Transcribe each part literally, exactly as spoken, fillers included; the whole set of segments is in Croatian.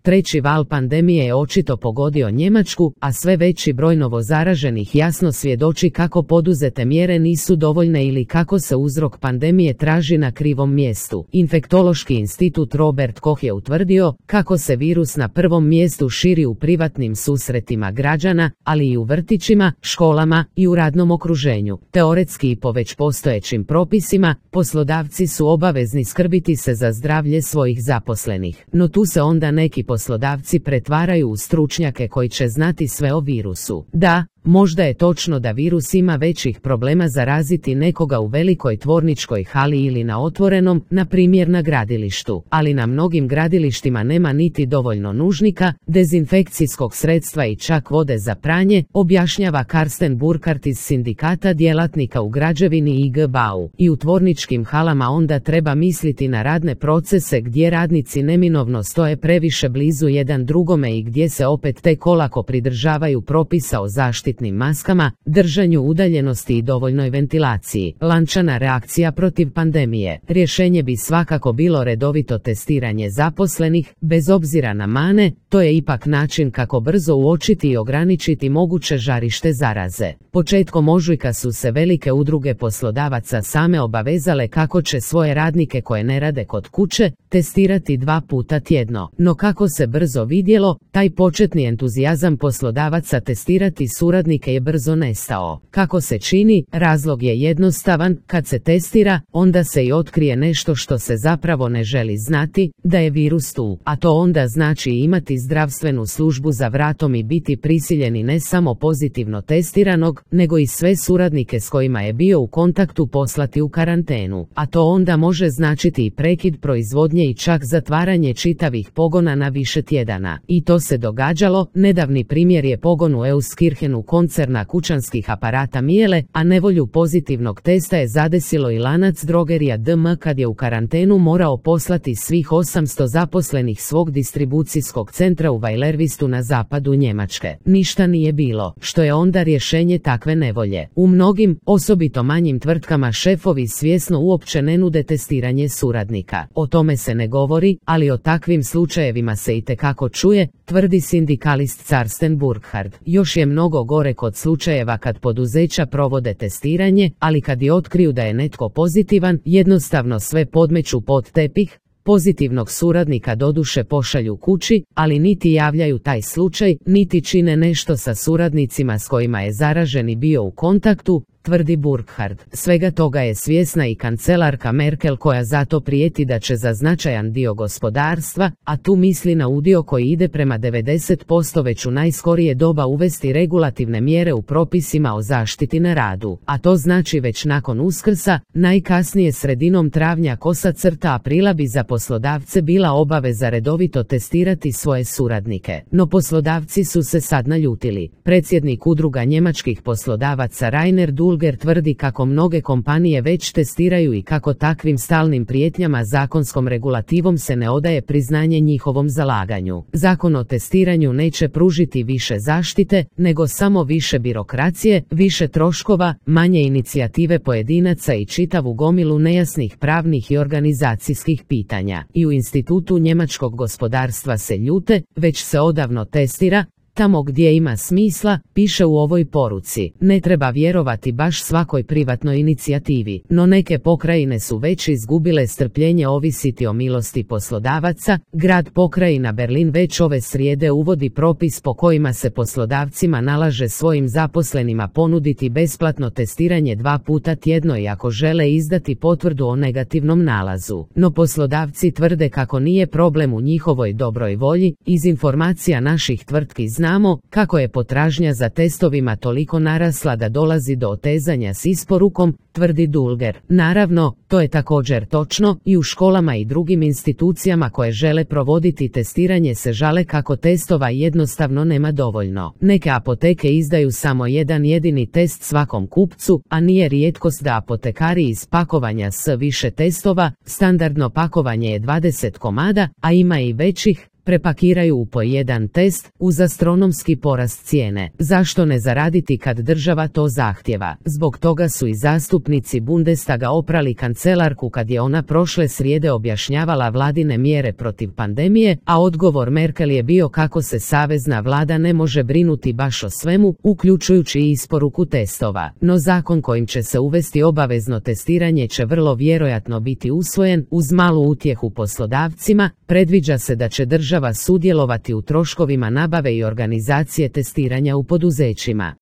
Treći val pandemije je očito pogodio Njemačku, a sve veći broj novozaraženih jasno svjedoči kako poduzete mjere nisu dovoljne ili kako se uzrok pandemije traži na krivom mjestu. Infektološki institut Robert Koch je utvrdio kako se virus na prvom mjestu širi u privatnim susretima građana, ali i u vrtićima, školama i u radnom okruženju. Teoretski i po već postojećim propisima, poslodavci su obavezni skrbiti se za zdravlje svojih zaposlenih. No tu se onda neki poslodavci pretvaraju u stručnjake koji će znati sve o virusu. Da, možda je točno da virus ima većih problema zaraziti nekoga u velikoj tvorničkoj hali ili na otvorenom, na primjer na gradilištu, ali na mnogim gradilištima nema niti dovoljno nužnika, dezinfekcijskog sredstva i čak vode za pranje, objašnjava Karsten Burkhardt iz sindikata djelatnika u građevini I G B A U. I u tvorničkim halama onda treba misliti na radne procese gdje radnici neminovno stoje previše blizu jedan drugome i gdje se opet tek olako pridržavaju propisa o zaštiti maskama, držanju udaljenosti i dovoljnoj ventilaciji. Lančana reakcija protiv pandemije. Rješenje bi svakako bilo redovito testiranje zaposlenih, bez obzira na mane, to je ipak način kako brzo uočiti i ograničiti moguće žarište zaraze. Početkom ožujka su se velike udruge poslodavaca same obavezale kako će svoje radnike koje ne rade kod kuće testirati dva puta tjedno. No kako se brzo vidjelo, taj početni entuzijazam poslodavaca testirati suradnike je brzo nestao. Kako se čini, razlog je jednostavan, kad se testira, onda se i otkrije nešto što se zapravo ne želi znati, da je virus tu. A to onda znači imati zdravstvenu službu za vratom i biti prisiljeni ne samo pozitivno testiranog, nego i sve suradnike s kojima je bio u kontaktu poslati u karantenu. A to onda može značiti i prekid proizvodnje i čak zatvaranje čitavih pogona na više tjedana. I to se događalo, nedavni primjer je pogon u Euskirchenu koncerna kućanskih aparata Miele, a nevolju pozitivnog testa je zadesilo i lanac drogerija D M kad je u karantenu morao poslati svih osamsto zaposlenih svog distribucijskog centra u Weilerwistu na zapadu Njemačke. Ništa nije bilo, što je onda rješenje takve nevolje. U mnogim, osobito manjim tvrtkama šefovi svjesno uopće ne nude testiranje suradnika. O tome se ne govori, ali o takvim slučajevima se itekako čuje, tvrdi sindikalist Karsten Burkhardt. Još je mnogo gore kod slučajeva kad poduzeća provode testiranje, ali kad i otkriju da je netko pozitivan, jednostavno sve podmeću pod tepih, pozitivnog suradnika doduše pošalju kući, ali niti javljaju taj slučaj, niti čine nešto sa suradnicima s kojima je zaraženi bio u kontaktu, tvrdi Burkhardt. Svega toga je svjesna i kancelarka Merkel koja zato prijeti da će za značajan dio gospodarstva, a tu misli na udio koji ide prema devedeset posto već u najskorije doba uvesti regulativne mjere u propisima o zaštiti na radu. A to znači već nakon Uskrsa, najkasnije sredinom travnja kosa crta aprila bi za poslodavce bila obaveza redovito testirati svoje suradnike. No poslodavci su se sad naljutili. Predsjednik udruga njemačkih poslodavaca Rainer Dulger tvrdi kako mnoge kompanije već testiraju i kako takvim stalnim prijetnjama zakonskom regulativom se ne odaje priznanje njihovom zalaganju. Zakon o testiranju neće pružiti više zaštite, nego samo više birokracije, više troškova, manje inicijative pojedinaca i čitavu gomilu nejasnih pravnih i organizacijskih pitanja. I u Institutu njemačkog gospodarstva se ljute, već se odavno testira, tamo gdje ima smisla, piše u ovoj poruci. Ne treba vjerovati baš svakoj privatnoj inicijativi, no neke pokrajine su već izgubile strpljenje ovisiti o milosti poslodavaca. Grad pokrajina Berlin već ove srijede uvodi propis po kojima se poslodavcima nalaže svojim zaposlenima ponuditi besplatno testiranje dva puta tjedno i ako žele izdati potvrdu o negativnom nalazu. No poslodavci tvrde kako nije problem u njihovoj dobroj volji. Iz informacija naših tvrtki znamo kako je potražnja za testovima toliko narasla da dolazi do otezanja s isporukom, tvrdi Dulger. Naravno, to je također točno, i u školama i drugim institucijama koje žele provoditi testiranje se žale kako testova jednostavno nema dovoljno. Neke apoteke izdaju samo jedan jedini test svakom kupcu, a nije rijetkost da apotekari iz pakovanja s više testova, standardno pakovanje je dvadeset komada, a ima i većih, prepakiraju u po jedan test, uz astronomski porast cijene. Zašto ne zaraditi kad država to zahtjeva? Zbog toga su i zastupnici Bundestaga oprali kancelarku kad je ona prošle srijede objašnjavala vladine mjere protiv pandemije, a odgovor Merkel je bio kako se savezna vlada ne može brinuti baš o svemu, uključujući i isporuku testova. No zakon kojim će se uvesti obavezno testiranje će vrlo vjerojatno biti usvojen, uz malu utjehu poslodavcima. Predviđa se da će država sudjelovati u troškovima nabave i organizacije testiranja u poduzećima.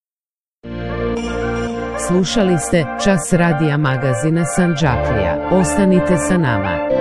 Slušali ste Čas radija magazina Sandžaklija. Ostanite sa nama.